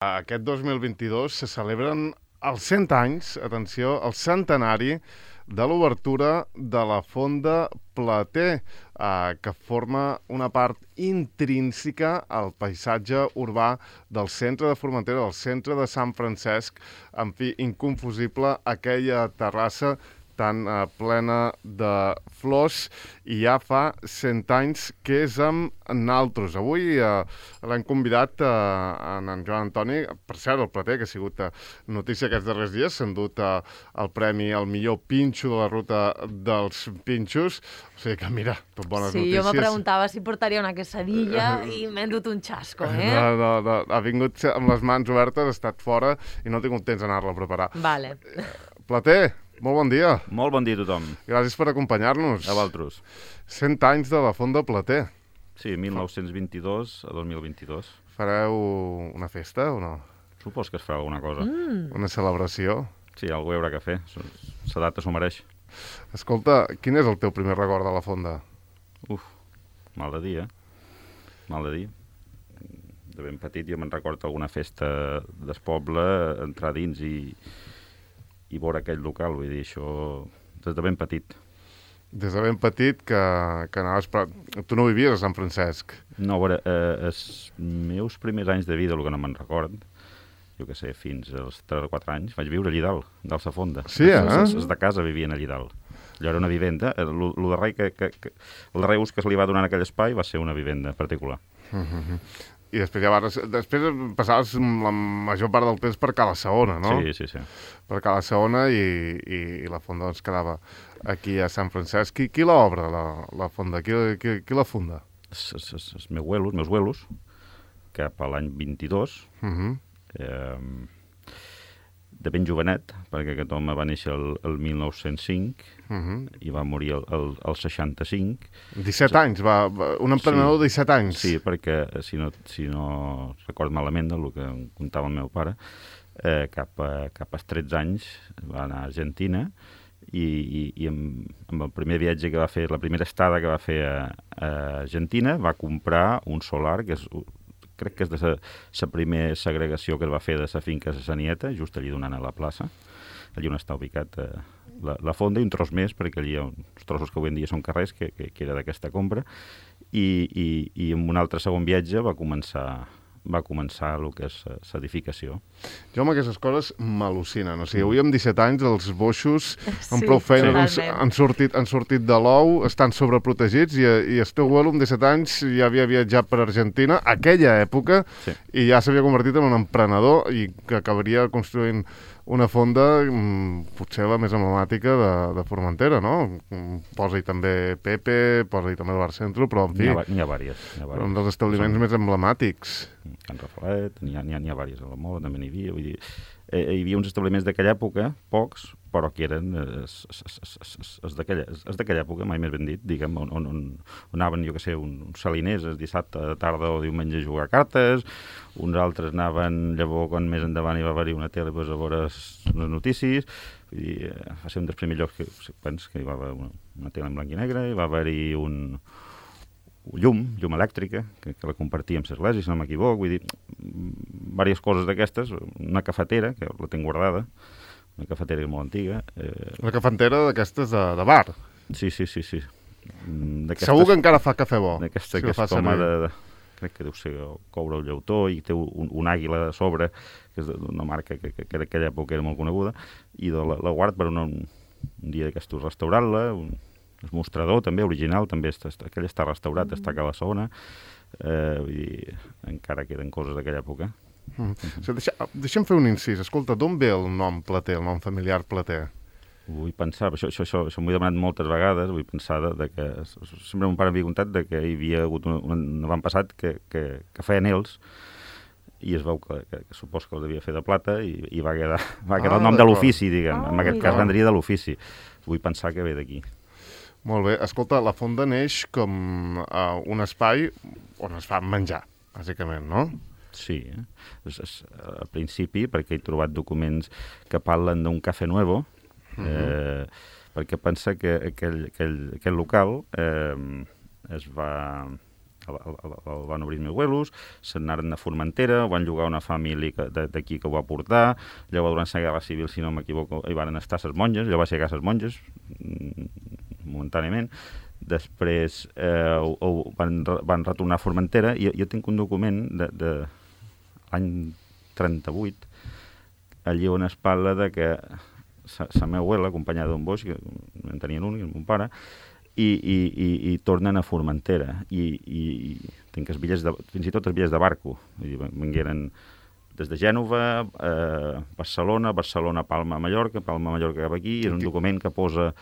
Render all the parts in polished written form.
Aquest 2022 se celebren els 100 anys, atenció, el centenari de l'obertura de la Fonda Plater, que forma una part intrínseca al paisatge urbà del centre de Formentera, del centre de Sant Francesc. En fi, inconfusible aquella terrassa tan plena de flors, i ja fa 100 anys que és amb naltros. Avui l'hem convidat en Joan Antoni, per cert, el Plater, que ha sigut notícia aquests darrers dies, s'ha endut el premi al millor pinxo de la ruta dels pinxos. O sigui que, mira, tot bones notícies. Sí, jo me preguntava si portaria una quesadilla i m'he endut un xasco, eh? No, ha vingut amb les mans obertes, ha estat fora i no he tingut temps d'anar-la a preparar. Vale. Plater, molt bon dia. Molt bon dia a tothom. Gràcies per acompanyar-nos. A vosaltres. 100 anys de la Fonda Plater. Sí, 1922 a 2022. Fareu una festa o no? Supos que es farà alguna cosa. Una celebració? Sí, algú hi haurà que fer. La data s'ho mereix. Escolta, quin és el teu primer record de la Fonda? Mal de dir, Mal de dir. De ben petit jo me'n recordo alguna festa del poble, entrar dins i veure aquell local, vull dir, això des de ben petit. Des de ben petit que anaves... Tu no vivies a Sant Francesc? No, a veure, els meus primers anys de vida, el que no me'n record, jo què sé, fins als 3 o 4 anys, vaig viure allí dalt la Fonda. Sí, Els de casa vivien allí dalt. Allò era una vivenda. El darrer ús que se li va donar en aquell espai va ser una vivenda particular. I després passaves la major part del temps per Cala Saona, no? Sí. Per Cala Saona i la Fonda doncs quedava aquí a Sant Francesc. Qui l'obre, la Fonda? Qui la funda? Els meus abuelos, cap a l'any 22, de ben jovenet, perquè aquest home va néixer el 1905 i va morir el 65. 17 anys, un emprenedor de 17 anys. Sí, perquè si no record malament el que em contava el meu pare, cap als 13 anys va anar a Argentina i amb el primer viatge que va fer, la primera estada que va fer a Argentina, va comprar un solar que crec que és de la primera segregació que es va fer de la finca de Sanieta, just allí donant a la plaça. Allí on està ubicat la Fonda i un tros més, perquè allí hi ha uns trossos que avui en dia són carrers, que era d'aquesta compra, i en un altre segon viatge va començar el que és l'edificació. Jo amb aquestes coses m'al·lucinen. O sigui, avui amb 17 anys els boixos amb prou feina han sortit de l'ou, estan sobreprotegits i el teu abuelo amb 17 anys ja havia viatjat per Argentina, aquella època, i ja s'havia convertit en un emprenedor i que acabaria construint una fonda potser la més emblemàtica de Formentera, no? Posa-hi també Pepe, posa-hi també el Bar Centro, però en fi... N'hi ha vàries. Un dels establiments més emblemàtics. Can Rafalet, n'hi ha vàries, a la Mola també n'hi havia, vull dir... Hi havia uns establiments d'aquella època, pocs, però que eren els d'aquella època, mai més ben dit, diguem, on anaven, jo què sé, uns saliners el dissabte de tarda o diumenge a jugar a cartes, uns altres anaven, llavors, quan més endavant hi va haver una tele, doncs, a veure les notícies, vull dir, va ser un dels primers llocs que hi va haver una tele en blanc i negre, hi va haver-hi llum elèctrica, que la compartíem amb l'església, si no m'equivoc, vull dir, diverses coses d'aquestes, una cafetera, que la tinc guardada, una cafetera molt antiga. Una cafetera d'aquestes de bar? Sí. Segur que encara fa cafè bo. D'aquesta que és com crec que deu ser coure el llautó i té un àguila a sobre, que és d'una marca que d'aquella època era molt coneguda, i la guard per un dia d'aquestos restaurant-la, el mostrador també, original, també aquell està restaurat, està a Cala Saona, vull dir, encara queden coses d'aquella època. Deixa'm fer un incís. Escolta, d'on ve el nom Plater, el nom familiar Plater? Vull pensar, això m'ho he demanat moltes vegades, vull pensar que sempre mon pare m'havia contat que hi havia hagut un avantpassat que feia anells i es veu que supos que els devia fer de plata i va quedar el nom de l'ofici, diguem, en aquest cas vendria de l'ofici. Vull pensar que ve d'aquí. Molt bé. Escolta, la Fonda neix com un espai on es fa menjar, bàsicament, no? Sí. Al principi, perquè he trobat documents que parlen d'un Café Nuevo, perquè pensa que aquell local es va el van obrir els meus abuelos, se'n anaren a Formentera, ho van llogar una família d'aquí que ho va portar, llavors durant la Guerra Civil, si no m'equivoco, hi van estar les monges, jo vaig llegar les monges, momentàniament, després van retornar a Formentera, i jo tinc un document de l'any 38, allí on es parla de que la meva abuela, acompanyada d'un boix, que en tenien un, i el meu pare, i tornen a Formentera. I tinc els bitllets fins i tot els bitllets de barco. Vingueren des de Gènova, Barcelona, Palma, Mallorca cap aquí, i és un document que posa,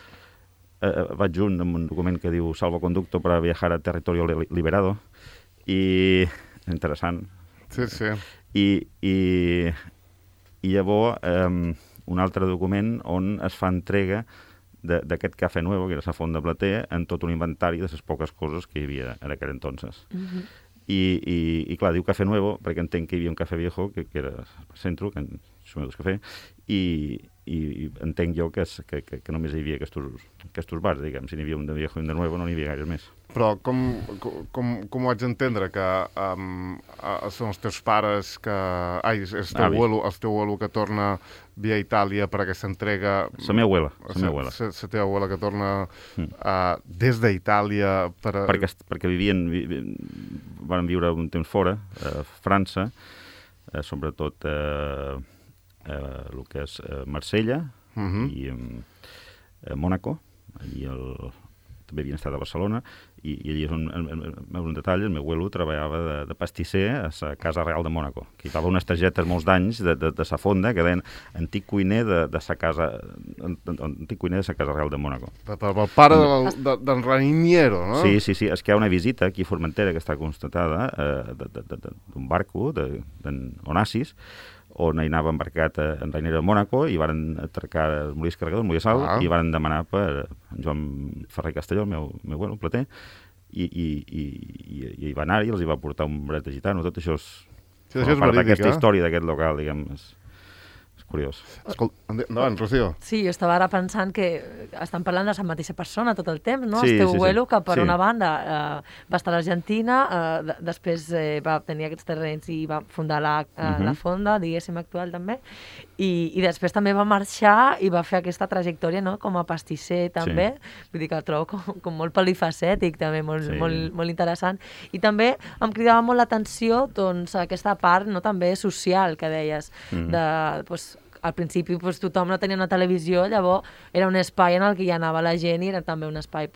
vaig junt amb un document que diu salvoconducto para viajar a territorio liberado, i interessant. Sí, sí. I llavors un altre document on es fa entrega d'aquest Cafè Nuevo, que era la font de Plater, en tot un inventari de les poques coses que hi havia en aquell entonces. I clar, diu Cafè Nuevo, perquè entenc que hi havia un Cafè Viejo, que era al centre, que és un cafè, i entenc jo que només hi havia aquests bars, diguem. Si n'hi havia un de Viejo i un de Nuevo, no n'hi havia gaire més. Però com ho haig d'entendre? Que són els teus pares que... Ai, és el teu abuelo que torna via Itàlia per aquesta entrega... La meva abuela. La teva abuela que torna des d'Itàlia per... Perquè van viure un temps fora, a França, sobretot el que és Marsella i Mònaco, i també havien estat a Barcelona, i allí és un detall, el meu abuelo treballava de pastisser a la Casa Real de Mònaco, que hi havia unes targetes molts d'anys de la fonda que deien antic cuiner de la Casa Real de Mònaco. El pare d'en Raniero, no? Sí, és que hi ha una visita aquí a Formentera que està constatada d'un barco d'en Onassis, on hi anava embarcat en Raniero de Mònaco, i van atracar el molí carregador, el molí Sal, i van demanar per en Joan Ferrer Castelló, el meu abuelo, el plater, i hi va anar i els hi va portar un bret de gitano. Tot això és part d'aquesta història d'aquest local, diguem, és curiós. Escolta, endavant, Rocío. Sí, jo estava ara pensant que estan parlant de la mateixa persona tot el temps, no? Sí, el teu abuelo, que per una banda va estar a l'Argentina, després va tenir aquests terrenys i va fundar la fonda, diguéssim, actual també, i després també va marxar i va fer aquesta trajectòria, no?, com a pastisser també, vull dir que el trobo com molt polifacètic també, molt interessant, i també em cridava molt l'atenció doncs aquesta part, no?, també social que deies, al principi tothom no tenia una televisió, llavors era un espai en el que hi anava la gent i era també un espai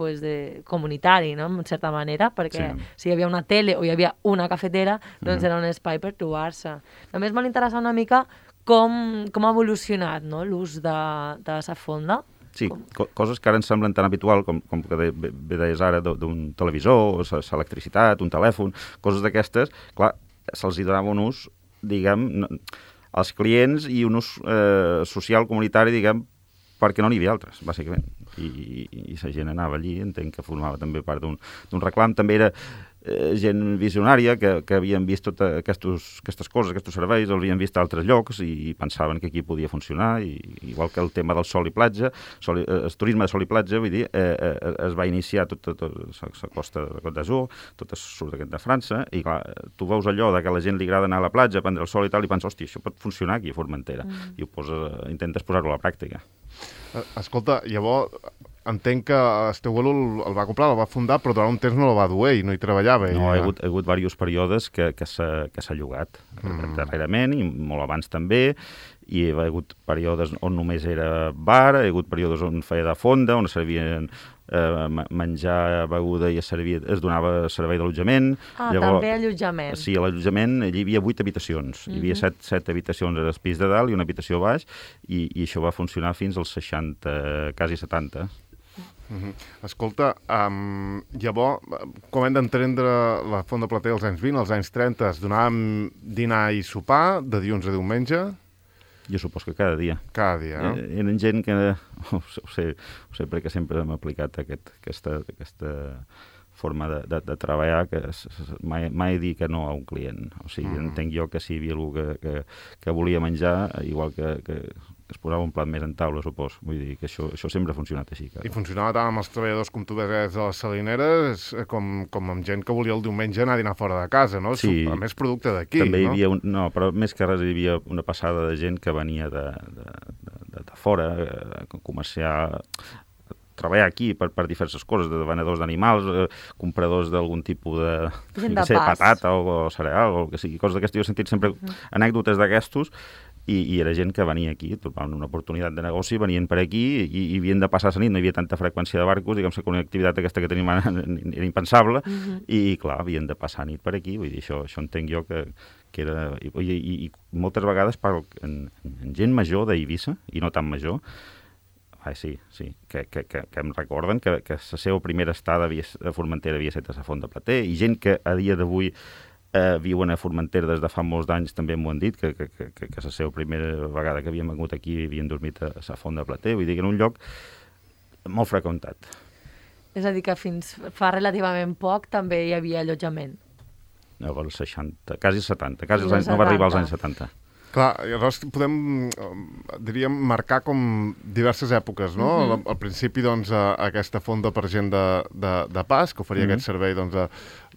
comunitari, no?, en certa manera, perquè si hi havia una tele o hi havia una cafetera, doncs era un espai per trobar-se. També és molt interessant una mica com ha evolucionat, no?, l'ús de la fonda. Sí, coses que ara ens semblen tan habitual com que bé deies ara d'un televisor, l'electricitat, un telèfon, coses d'aquestes, clar, se'ls hi donava un ús, diguem, als clients i un ús social, comunitari, diguem, perquè no n'hi havia altres, bàsicament. I la gent anava allí, entenc que formava també part d'un reclam. També era gent visionària que havien vist totes aquestes coses, aquests serveis, els havien vist a altres llocs i pensaven que aquí podia funcionar, igual que el tema del sol i platja, el turisme de sol i platja, vull dir, es va iniciar tota la costa de Côte d'Azur, tot surt de França, i clar, tu veus allò que a la gent li agrada anar a la platja, prendre el sol i tal, i penses, hòstia, això pot funcionar aquí a Formentera, i intentes posar-ho a la pràctica. Escolta, llavors entenc que el teu abuelo el va comprar, el va fundar, però durant un temps no el va dur i no hi treballava. No, hi ha hagut diversos períodes que s'ha llogat darrerament, i molt abans també, i hi ha hagut períodes on només era bar, hi ha hagut períodes on feia de fonda, on servien menjar, beguda, i es donava servei d'allotjament. També allotjament. Sí, a l'allotjament hi havia 8 habitacions. Hi havia 7 habitacions al pis de dalt i una habitació a baix, i això va funcionar fins als 60, quasi 70. Escolta, llavors, com hem d'entendre la Font de Plater als anys 20, als anys 30, es donàvem dinar i sopar de dilluns a diumenge? Jo supos que cada dia. Cada dia, no? Eren gent que, ho sé perquè sempre m'ha aplicat aquesta forma de treballar, que mai dir que no a un client. O sigui, entenc jo que si hi havia algú que volia menjar, igual que es posava un plat més en taula, supos. Vull dir que això sempre ha funcionat així. I funcionava tant amb els treballadors, com tu deies, de les salineres, com amb gent que volia el diumenge anar a dinar fora de casa, no? Sí. A més producte d'aquí, També hi no? havia no, però més que res hi havia una passada de gent que venia de fora, comerciar, treballar aquí per diverses coses, de venedors d'animals, compradors d'algun tipus de patata o cereal, o el que sigui, coses d'aquestes. Jo he sentit sempre anècdotes d'aquestos, i era gent que venia aquí, trobaven una oportunitat de negoci, venien per aquí i havien de passar la nit, no hi havia tanta freqüència de barcos, diguem que una activitat aquesta que tenim ara era impensable, i clar, havien de passar nit per aquí, vull dir, això entenc jo que era... I moltes vegades parlo en gent major d'Eivissa, i no tan major, sí, que em recorden que la seva primera estada a Formentera havia estat a la Font de Plater, i gent que a dia d'avui viuen a Formentera des de fa molts d'anys, també m'ho han dit, que la seva primera vegada que havien vengut aquí havien dormit a la Font de Plater, vull dir que en un lloc molt freqüentat. És a dir, que fins fa relativament poc també hi havia allotjament. No, als 60, quasi 70, no va arribar als anys 70. Clar, llavors podem, diríem, marcar com diverses èpoques, no? Al principi, doncs, aquesta fonda per gent de pas, que oferia aquest servei, doncs,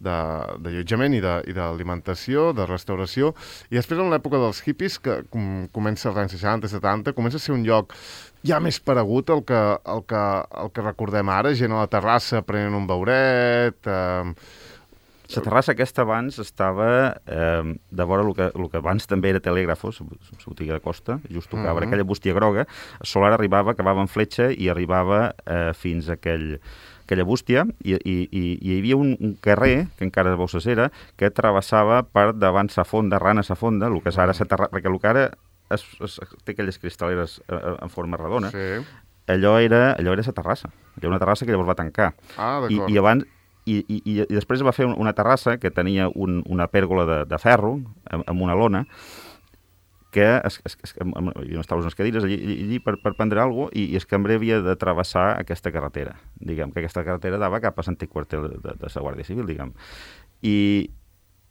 d'allotjament i d'alimentació, de restauració, i després en l'època dels hippies, que comença als anys 60, 70, comença a ser un lloc ja més paregut el que recordem ara, gent a la terrassa prenent un beuret... La terrassa aquesta abans estava de vora el que abans també era Telègrafos, la botiga de Costa, just tocava aquella bústia groga, el solar arribava, acabava en fletxa i arribava fins a aquella bústia, i hi havia un carrer, que encara veu la cera, que travessava per davant la fonda, ran a la fonda, el que és ara la terrassa, perquè el que ara té aquelles cristal·leres en forma redona, allò era la terrassa, era una terrassa que llavors va tancar. D'acord. I abans... I després va fer una terrassa que tenia una pèrgola de ferro amb una lona, que hi havia unes taules, unes cadires allí per prendre alguna cosa, i el cambrer havia de travessar aquesta carretera. Diguem que aquesta carretera dava cap a l'antic quartel de la Guàrdia Civil, diguem. I,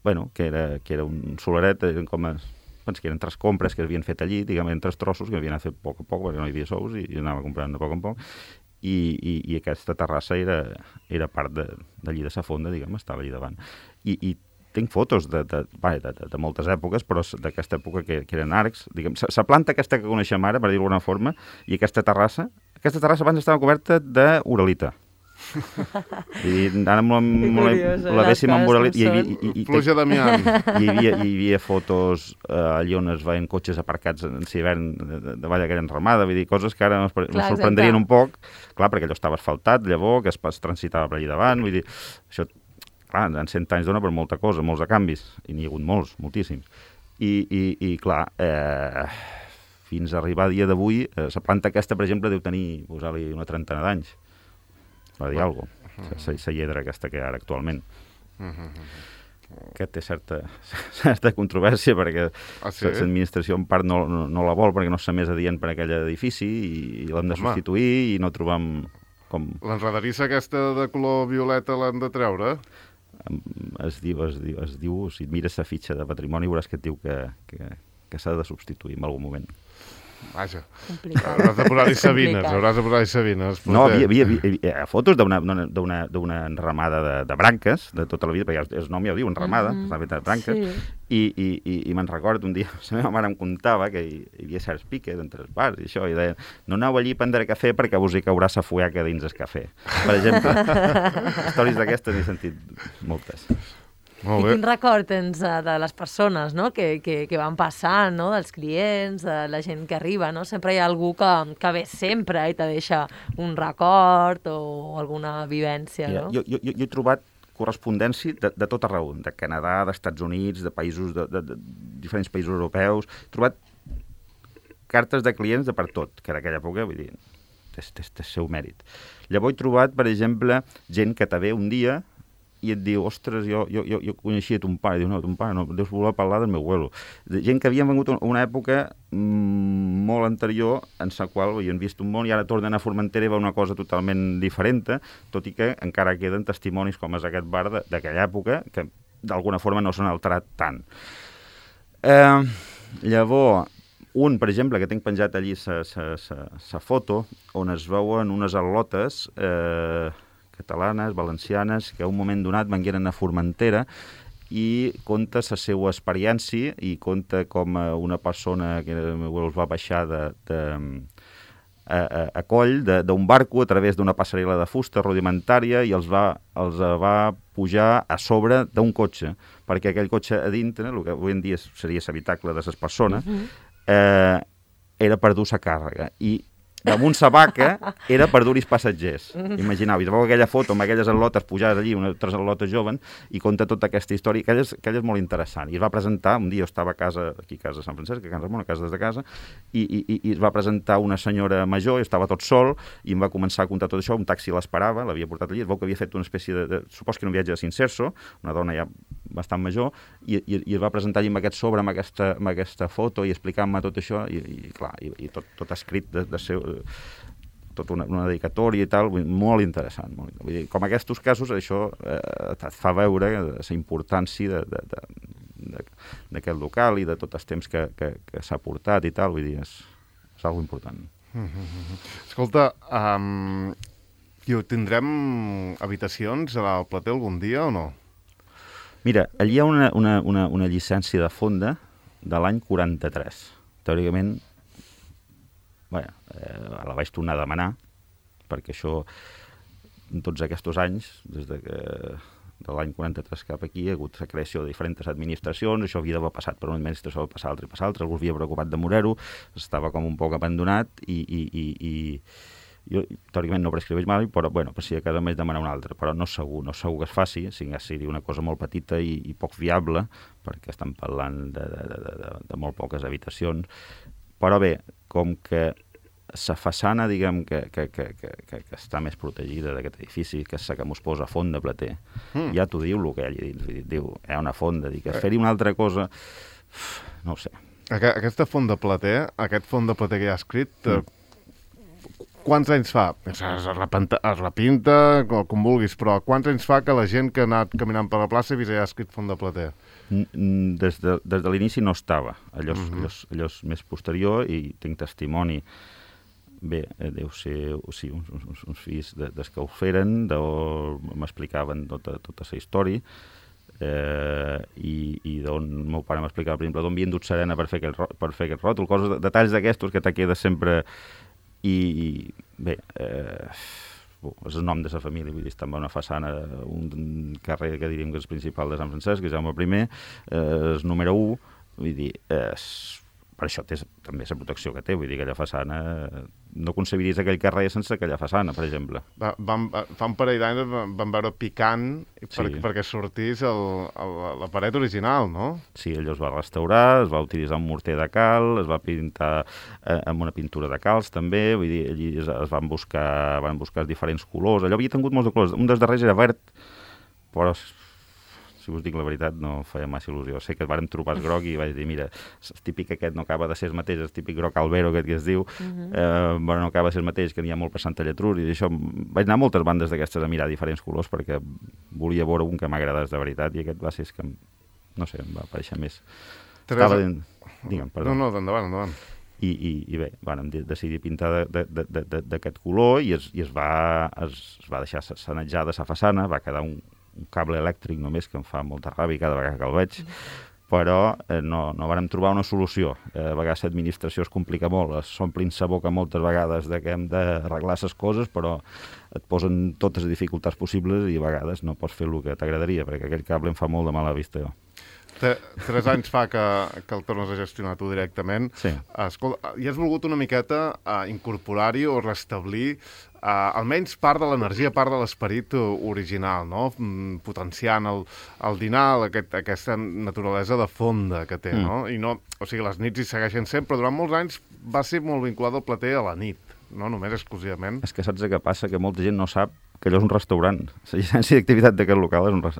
bueno, que era un solaret, que eren 3 compres que havien fet allí, diguem, eren 3 trossos que havien fet a poc, perquè no hi havia sous, i anava comprant de poc en poc. I aquesta terrassa era part d'allí de la fonda, diguem, estava allí davant. I tinc fotos de moltes èpoques, però d'aquesta època que eren arcs, diguem, la planta aquesta que coneixem ara, per dir-ho d'alguna forma, i aquesta terrassa abans estava coberta d'uralita. I ara l'haguéssim amb uralita. Pluja d'amiant. Hi havia fotos allà on es veien cotxes aparcats en l'hivern davall aquella enramada, vull dir, coses que ara ens sorprendrien un poc, clar, perquè allò estava asfaltat, llavors, que es transitava per allà davant, vull dir, això, clar, en 100 anys dona per molta cosa, molts de canvis, i n'hi ha hagut moltíssims. I clar, fins a arribar a dia d'avui, la planta aquesta, per exemple, deu tenir, posar-li una 30 d'anys, per dir alguna cosa, la lledra aquesta que hi ha ara actualment. Que té certa controvèrsia, perquè l'administració en part no la vol, perquè no és més adient per aquell edifici, i l'hem de substituir, i no trobam com... L'enredarissa aquesta de color violeta l'han de treure? Es diu, si et mires la fitxa de patrimoni, veuràs que et diu que s'ha de substituir en algun moment. Vaja, hauràs de posar-hi sabines, No, havia fotos d'una enramada de branques, de tota la vida, perquè el nom ja ho diu, enramada, està feta de branques, i me'n recordo un dia, la meva mare em contava que hi havia certs piques entre els bars i això, i deia, no aneu allí a prendre cafè perquè vos hi caurà sa fueca dins el cafè. Per exemple, històries d'aquestes n'he sentit moltes. I quin record tens de les persones, no? que van passant, no? Dels clients, de la gent que arriba, no? Sempre hi ha algú que ve sempre i te deixa un record o alguna vivència, no? Jo he trobat correspondència de tot arreu, de Canadà, d'Estats Units, de països, de diferents països europeus. He trobat cartes de clients de per tot, que en aquella època, vull dir, té el seu mèrit. Llavors he trobat, per exemple, gent que te ve un dia i et diu, ostres, jo coneixia ton pare. Diu, no, ton pare no, deus voler parlar del meu abuelo. Gent que havien vengut una època molt anterior en la qual havien vist un món i ara tornen a Formentera i veuen una cosa totalment diferent, tot i que encara queden testimonis com és aquest bar d'aquella època que d'alguna forma no s'han alterat tant. Llavors, Un, per exemple, que tinc penjat allí sa foto, on es veuen unes al·lotes catalanes, valencianes, que a un moment donat vengueren a Formentera i conta la seva experiència i conta com una persona que els va baixar a coll d'un barco a través d'una passarel·la de fusta rudimentària i els va pujar a sobre d'un cotxe, perquè aquell cotxe a dintre, el que avui en dia seria l'habitacle de les persones, era per dur la càrrega. I damunt sa vaca era per dur-hi passatgers. Imagineu, i veu aquella foto amb aquelles al·lotes pujades allí, tres al·lotes joven, i conta tota aquesta història, aquella és molt interessant. I es va presentar, un dia jo estava a casa, aquí a casa de Sant Francesc, a Can Ramon, a casa des de casa, i es va presentar una senyora major, jo estava tot sol, i em va començar a contar tot això, un taxi l'esperava, l'havia portat allí, es veu que havia fet una espècie supos que era un viatge de Cincerso, una dona ja bastant major, i es va presentar allí amb aquest sobre, amb aquesta foto, i explicant-me tot això, i clar, i tot escrit de seu tota una dedicatòria i tal, molt interessant. Vull dir, com aquests casos, això et fa veure la importància d'aquest local i de tot el temps que s'ha portat i tal, vull dir, és algo important. Escolta, tindrem habitacions al Plater algun dia o no? Mira, allí hi ha una llicència de fonda de l'any 43. Teòricament, la vaig tornar a demanar, perquè això, en tots aquests anys, des de l'any 43 cap aquí, hi ha hagut la creació de diferents administracions, això havia d'haver passat per una administració, passar altra i passar altra, algú havia preocupat de morar-ho, estava com un poc abandonat i jo teòricament no prescriveix mai, però per si a casa m'haig de demanar una altra, però no segur que es faci, seria una cosa molt petita i poc viable, perquè estem parlant de molt poques habitacions. Però bé, com que la façana, diguem, que està més protegida d'aquest edifici, que és la que mos posa font de Plater, ja t'ho diu el que hi ha allà dins. Diu, hi ha una fonda, fer-hi una altra cosa, no ho sé. Aquesta font de Plater, aquest font de Plater que hi ha escrit, quants anys fa? Es repinta, com vulguis, però quants anys fa que la gent que ha anat caminant per la plaça ha vist allà escrit font de Plater? Des de l'inici no estava. Allò és més posterior i tinc testimoni. Bé, deu ser uns fills des que ho feren, m'explicaven tota la història, i d'on el meu pare m'explicava, per exemple, d'on havien dut serena per fer aquest ròtol, detalls d'aquestos que te queda sempre. I bé, és el nom de la família, vull dir, està en una façana, un carrer que diríem que és principal de Sant Francesc, que és Jaume I, és número 1, vull dir, per això té també la protecció que té, vull dir, aquella façana, no concebiries aquell carrer sense aquella façana, per exemple. Fa un parell d'anys vam veure picant perquè sortís la paret original, no? Sí, allò es va restaurar, es va utilitzar un morter de cal, es va pintar amb una pintura de calç també, vull dir, allí es van buscar diferents colors, allò havia tingut molts de colors, un dels darrers era verd, però si us dic la veritat, no feia massa il·lusió. Sé que vàrem trobar el groc i vaig dir, mira, el típic aquest no acaba de ser el mateix, el típic groc albero aquest que es diu, però no acaba de ser el mateix, que n'hi ha molt per Santa Lletrús, i això, vaig anar a moltes bandes d'aquestes a mirar diferents colors perquè volia veure un que m'agradés de veritat, i aquest va ser que, no sé, em va aparèixer més. Digue'm, perdó. No, endavant. I bé, vam decidir pintar d'aquest color i es va deixar sanejada la façana, va quedar un cable elèctric només, que em fa molta ràbia cada vegada que el veig, però no vàrem trobar una solució. A vegades l'administració es complica molt, s'omplin la boca moltes vegades que hem d'arreglar les coses, però et posen totes les dificultats possibles i a vegades no pots fer el que t'agradaria, perquè aquell cable em fa molt de mala vista, jo. 3 anys fa que el tornes a gestionar tu directament. Sí. Escolta, i has volgut una miqueta incorporar-hi o restablir almenys part de l'energia, part de l'esperit original, no? Potenciant el dinar, aquesta naturalesa de fonda que té, no? I no, o sigui, les nits hi segueixen sent, però durant molts anys va ser molt vinculat el Plater a la nit, no només exclusivament. És que saps què passa? Que molta gent no sap que allò és un restaurant. La llicència d'activitat d'aquest local és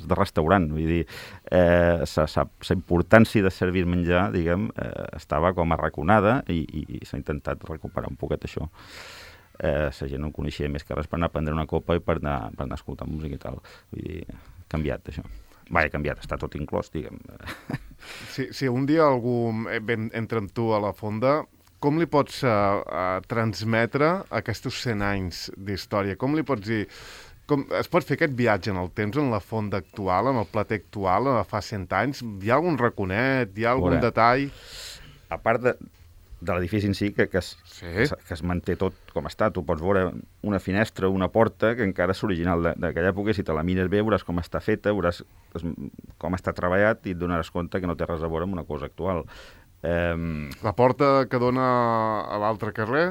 de restaurant. Vull dir, la importància de servir menjar, diguem, estava com arraconada i s'ha intentat recuperar un poquet això. La gent no coneixia més que res per anar a prendre una copa i per anar a escoltar música i tal. Vull dir, canviat, això. Va, he canviat, està tot inclòs, diguem. Si un dia algú entra amb tu a la fonda, com li pots transmetre aquests 100 anys d'història? Com li pots dir... es pot fer aquest viatge en el temps, en la fonda actual, en el plater actual, de fa 100 anys? Hi ha algun raconet? Hi ha algun detall? A part de l'edifici en si, que es manté tot com està. Tu pots veure una finestra, una porta, que encara és original d'aquella època, i si te la mires bé veuràs com està feta, veuràs com està treballat i et donaràs compte que no té res a veure amb una cosa actual. La porta que dona a l'altre carrer?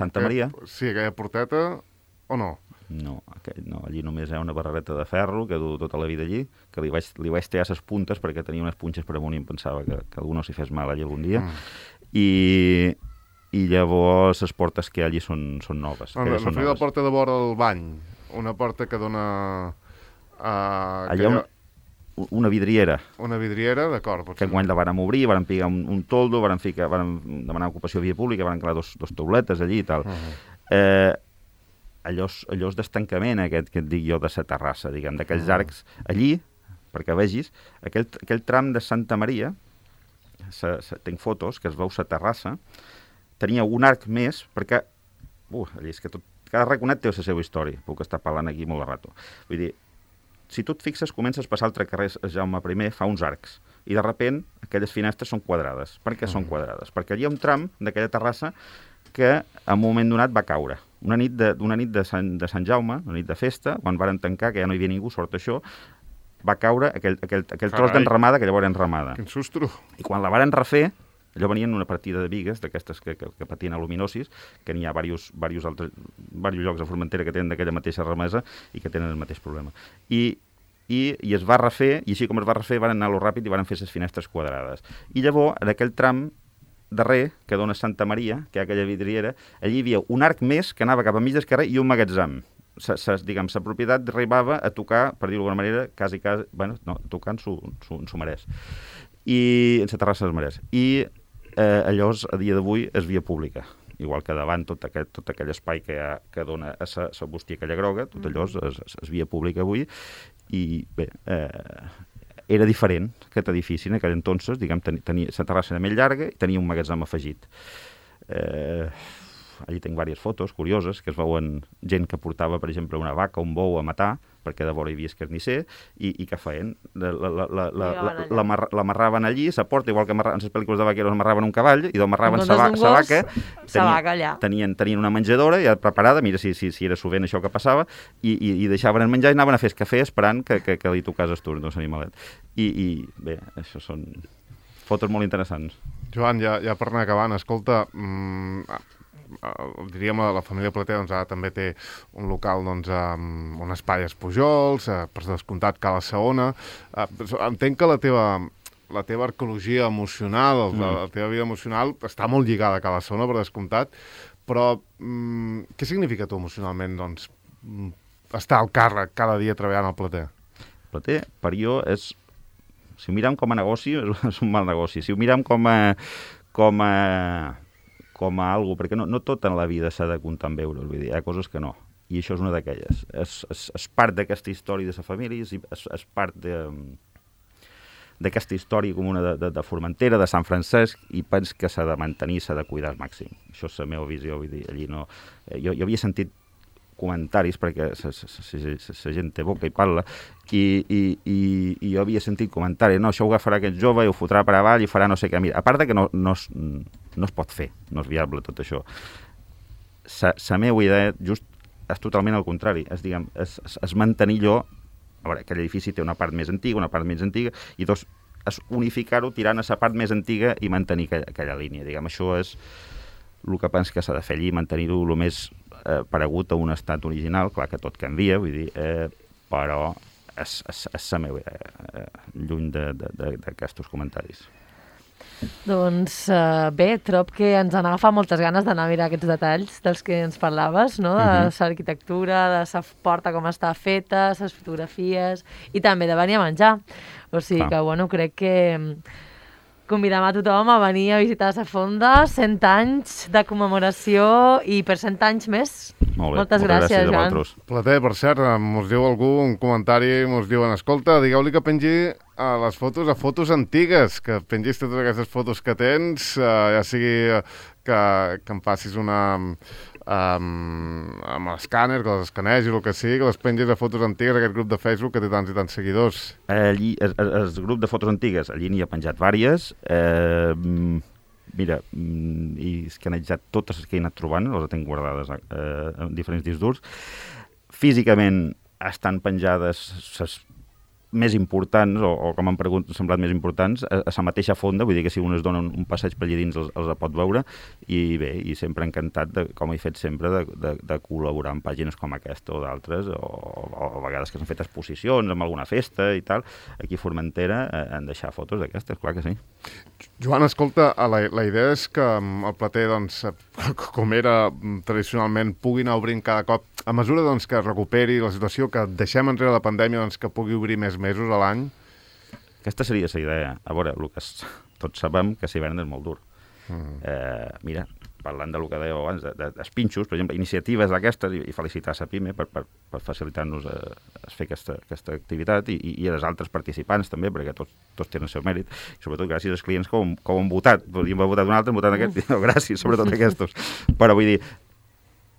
Santa Maria? Sí, aquella porteta, o no? No, allí només hi ha una barrereta de ferro que du tota la vida allí, que li vaig tallar les puntes perquè tenia unes punxes per amunt i em pensava que algú no s'hi fes mal allí algun dia. I llavors les portes que hi ha allí són noves. No, la porta de vora del bany, una porta que dona... Allà una vidriera. Una vidriera, d'acord. Que quan la vàrem obrir, vàrem picar un toldo, vàrem demanar ocupació via pública, vàrem crear dos tauletes allí i tal. Allò és d'estancament, aquest que et dic jo, de la terrassa, diguem, d'aquells arcs. Allí, perquè vegis, aquell tram de Santa Maria, tinc fotos, que es veu la terrassa, tenia un arc més, perquè, allí és que cada raconet té la seva història, puc estar parlant aquí molt de rato. Vull dir, si tu et fixes, comences a passar altre carrer Jaume I, fa uns arcs, i de sobte aquelles finestres són quadrades. Per què són quadrades? Perquè allà hi ha un tram d'aquella terrassa que en un moment donat va caure. Una nit de Sant Jaume, una nit de festa, quan varen tancar, que ja no hi havia ningú, sort això, va caure aquell tros d'enramada que llavors era enramada. Quin sustro! I quan la varen refer, allò venien una partida de bigues, d'aquestes que patien aluminosis, que n'hi ha diversos llocs a Formentera que tenen d'aquella mateixa remesa i que tenen el mateix problema. I es va refer, i així com es va refer, van anar-lo ràpid i van fer les finestres quadrades. I llavors, en aquell tram darrer, que dona Santa Maria, que hi ha aquella vidriera, allí hi havia un arc més que anava cap a mig del carrer i un magatzem. La propietat arribava a tocar, per dir-ho d'alguna manera, quasi, tocant s'ho mereix. I en la terrassa dels Marès. I allò, a dia d'avui, és via pública. Igual que davant tot aquell espai que dona a la bústia aquella groga, tot allò és via pública avui. I bé, era diferent aquest edifici en aquell entonces, diguem, la terrassa era més llarga i tenia un magatzem afegit. Allí tinc diverses fotos curioses que es veuen gent que portava, per exemple, una vaca o un bou a matar, perquè de vora hi havia escarnisser, i què feien? L'amarraven allí, la porta, igual que en les pel·lícules de vaqueros amarraven un cavall, i d'amarraven la vaca, tenien una menjadora ja preparada, mira si era sovint això que passava, i deixaven el menjar i anaven a fer el cafè esperant que li tocàs el turn d'un animalet. I bé, això són fotos molt interessants. Joan, ja per anar acabant, escolta, diríem la família Plater també té un local amb un espai als Pujols, per descomptat Cala Saona. Entenc que la teva arqueologia emocional, la teva vida emocional està molt lligada a Cala Saona, per descomptat, però què significa tu emocionalment estar al càrrec cada dia treballant al Plater? Plater, per jo, si ho mirem com a negoci, és un mal negoci. Si ho mirem com a algo, perquè no tot en la vida s'ha de comptar en euros, vull dir, hi ha coses que no, i això és una d'aquelles. És part d'aquesta història de la família, és part d'aquesta història comuna de Formentera, de Sant Francesc, i pens que s'ha de mantenir, s'ha de cuidar al màxim. Això és la meva visió, vull dir, allí no... Jo havia sentit comentaris, perquè la gent té boca i parla, i jo havia sentit comentaris, no, això ho agafarà aquest jove i ho fotrà per avall i farà no sé què. Mira, a part que no es pot fer, no és viable tot això. La meva idea just és totalment al contrari, és mantenir allò, a veure, aquell edifici té una part més antiga, una part menys antiga, i dos, és unificar-ho tirant a la part més antiga i mantenir aquella línia. Diguem, això és el que penso que s'ha de fer allí, mantenir-ho el més paregut a un estat original, clar que tot canvia, vull dir, però és la meva idea, lluny d'aquests comentaris. Doncs bé, trob que ens han agafat moltes ganes d'anar a mirar aquests detalls dels que ens parlaves, no? De l'arquitectura, de la porta com està feta, les fotografies, i també de venir a menjar. O sigui que, bueno, crec que convidem a tothom a venir a visitar la fonda, 100 anys de commemoració i per 100 anys més. Molt bé, moltes gràcies, Joan. Plater, per cert, mos diu algú un comentari, mos diuen, escolta, digueu-li que pengi a les fotos, a fotos antigues, que pengis totes aquestes fotos que tens, ja sigui que em passis una amb l'escàner, que les escanegis, el que sigui, que les pengis a fotos antigues, aquest grup de Facebook que té tants i tants seguidors. Allí, el grup de fotos antigues, allí n'hi ha penjat vàries. Mira, he escanejat totes les que he anat trobant, les tinc guardades en diferents discs durs. Físicament estan penjades les més importants, o com m'han semblat més importants, a la mateixa fonda, vull dir que si un es dona un passeig per allà dins els pot veure, i bé, i sempre encantat, com he fet sempre, de col·laborar en pàgines com aquesta o d'altres, o a vegades que s'han fet exposicions en alguna festa i tal, aquí a Formentera han deixat fotos d'aquestes, clar que sí. Joan, escolta, la idea és que el Plater, doncs, com era tradicionalment, pugui anar obrint cada cop, a mesura doncs, que es recuperi la situació, que deixem enrere la pandèmia, doncs, que pugui obrir més mesos a l'any? Aquesta seria la idea. A veure, Lucas, tots sabem que l'hivern és molt dur. Mira, parlant del que dèieu abans, dels pinxos, per exemple, iniciatives d'aquestes, i felicitar la PIME per facilitar-nos fer aquesta activitat, i a les altres participants també, perquè tots tenen el seu mèrit, i sobretot gràcies als clients que ho han votat. Podríem haver votat un altre, han votat aquest, i gràcies, sobretot aquests. Però vull dir,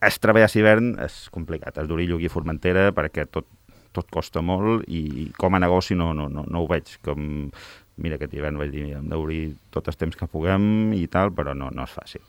el treball a l'hivern és complicat, és durillo aquí a Formentera, perquè tot costa molt, i com a negoci no ho veig. Mira, aquest hivern vaig dir, hem d'obrir tot el temps que puguem i tal, però no és fàcil.